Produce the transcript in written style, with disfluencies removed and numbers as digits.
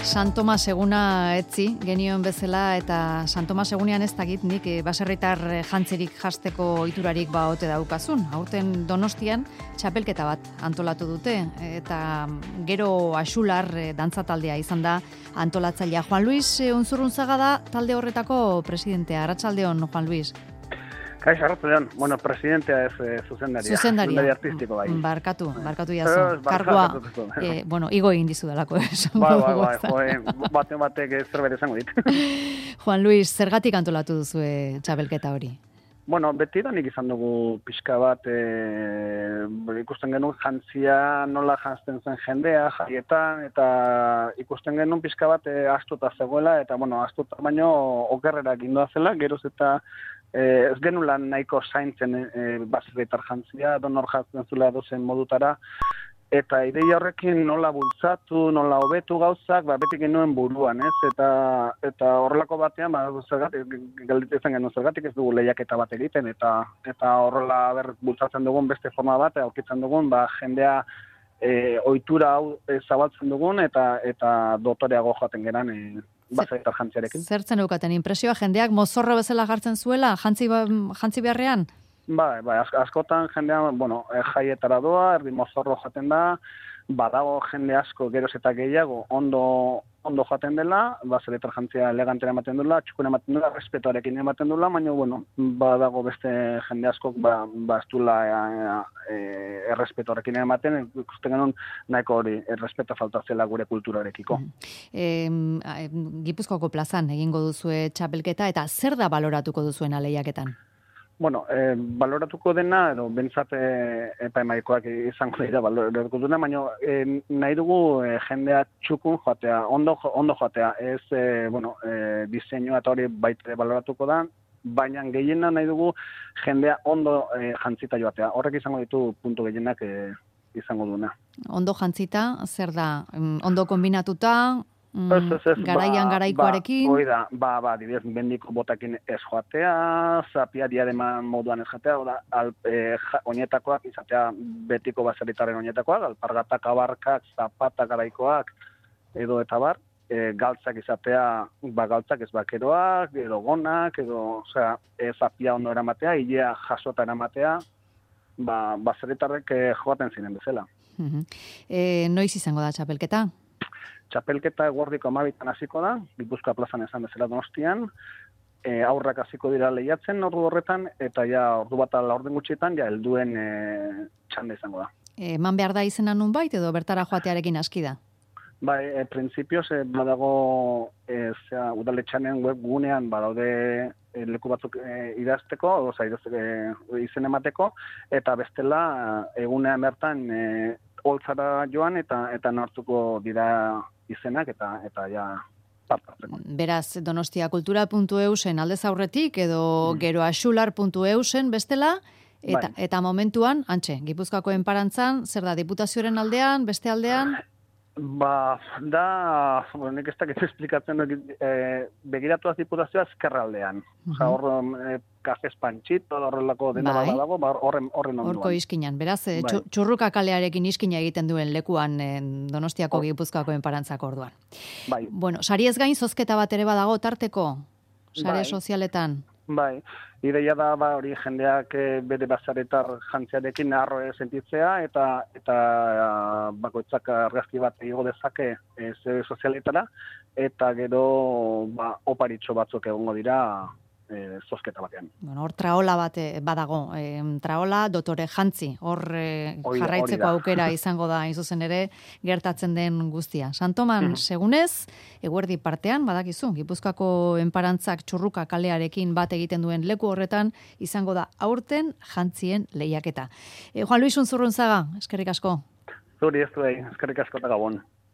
San Tomas eguna etzi genion bezala eta San Tomas egunean ez dakit nik baserritar jantzerik jasteko ohiturarik ote daukazun. Aurten Donostian txapelketa bat antolatu dute eta gero Axular dantza taldea izan da antolatzailea. Juan Luis Unzurrunzaga da talde horretako presidentea. Arratsaldeon, Juan Luis. Kaixo, arratsaldeon. Bueno, presidentea ez zuzendaria. Zuzendari artistiko bai. Barkatu jaso. Kargoa, igo egin dizudalako. Batek zerbait esango dit. Juan Luis, zergatik antolatu duzue txapelketa hori? Bueno, beti da nik izan dugu pixka bat, ikusten genuen jantzia nola jantzten zen jendea, jaietan, eta ikusten genuen pixka bat astuta zegoela, eta astuta baino okerrera gindoa zela, geroz eta ez genulan nahiko zaintzen baserritar jantzia, donor jantzen zula dozen modutara, eta ideia horrekin nola bultzatu, nola hobetu gauzak, beti genuen buruan, ez? Eta horrelako batean, galditzen genuen zergatik ez dugu lehiaketa bat egiten, eta horrela bultzatzen dugun beste forma bat, aurkitzen dugun, jendea ohitura hau zabaltzen dugun, eta dotoreago joaten geran baserritar jantziarekin. Zertzen eukaten impresioa, jendeak mozorro bezala jartzen zuela, jantzi beharrean? Bai, askotan jendea, jaietara doa, erdi mozorro jaten da, badago jende asko geroz eta gehiago ondo jaten dela, baserritar jantzia elegantera ematen dela, txukuna ematen dela, respetoarekin ematen dela, baina, badago beste jende askok, ez dula errespetoarekin ematen, ikusten genuen nahiko hori, errespeta falta zela gure kulturarekiko. Gipuzkoako plazan egingo duzue txapelketa, eta zer da baloratuko duzuen lehiaketan? Baloratuko dena, edo bentsat epaimahikoak izango dira baloratuko dena, baina nahi dugu jendea txukun joatea, ondo joatea, ez diseinua eta hori baita baloratuko da, baina gehiena nahi dugu jendea ondo jantzita joatea. Horrek izango ditu puntu gehienak izango duna. Ondo jantzita, zer da? Ondo kombinatuta? Garaian garaikoarekin? Hoi da, dibidez, bendiko botakin ez joatea, zapia diademan moduan ez joatea, oinetakoak izatea betiko baserritarren oinetakoak, alpargatak, abarkak, zapatak garaikoak, edo eta bar, galtzak izatea, galtzak ez bakeroak, edo gonak, edo, zapia ondo eramatea, hilea jasota eramatea, baserritarrek joaten ziren bezala. Noiz izango da txapelketa? Txapelketa eguerdiko 12 hasiko da, Gipuzkoa plazan esan bezala Donostian, aurrak hasiko dira lehiatzen ordu horretan, eta ordu bat laurden gutxietan, helduen txanda izango da. Eman behar da izena nunbait, edo bertara joatearekin aski da? Bai, printzipioz, badago udaletxanen webgunean, badaude leku batzuk idazteko, izen emateko, eta bestela egunean bertan holtzara joan eta nortuko dira izenak eta partartzeko. Beraz, donostiakultura.eusen aldez aurretik edo gero axular.eusen bestela, eta momentuan, Gipuzkoako enparantzan, zer da, diputazioaren aldean, beste aldean? Nik ez dakit esplikatzen begiratuaz diputazioa ezkerraldean. Hor, kafez pantxito, horrelako dena dago, horren onduan. Horko iskinan. Beraz, txurruka kalearekin iskina egiten duen lekuan Donostiako Gipuzkoako enparantzako orduan. Bai. Sari ez gain, zozketa bat ere badago tarteko, sare sozialetan. Bai, ideia da hori jendeak bere baserritar jantziarekin harro sentitzea eta bakoitzak argazki bat igo dezake sozialetara eta gero oparitxo batzuk egongo dira zozketa batean. Hor traola bat badago, traola dotore jantzi, hor jarraitzeko aukera izango da, zuzen ere, gertatzen den guztia. Santoman, segunez, eguerdi partean, badakizu, Gipuzkoako enparantzak txurruka kalearekin bat egiten duen leku horretan, izango da aurten jantzien lehiaketa. Juan Luis Unzurrunzaga, eskerrik asko. Zuri ez du, eskerrik asko eta gabon.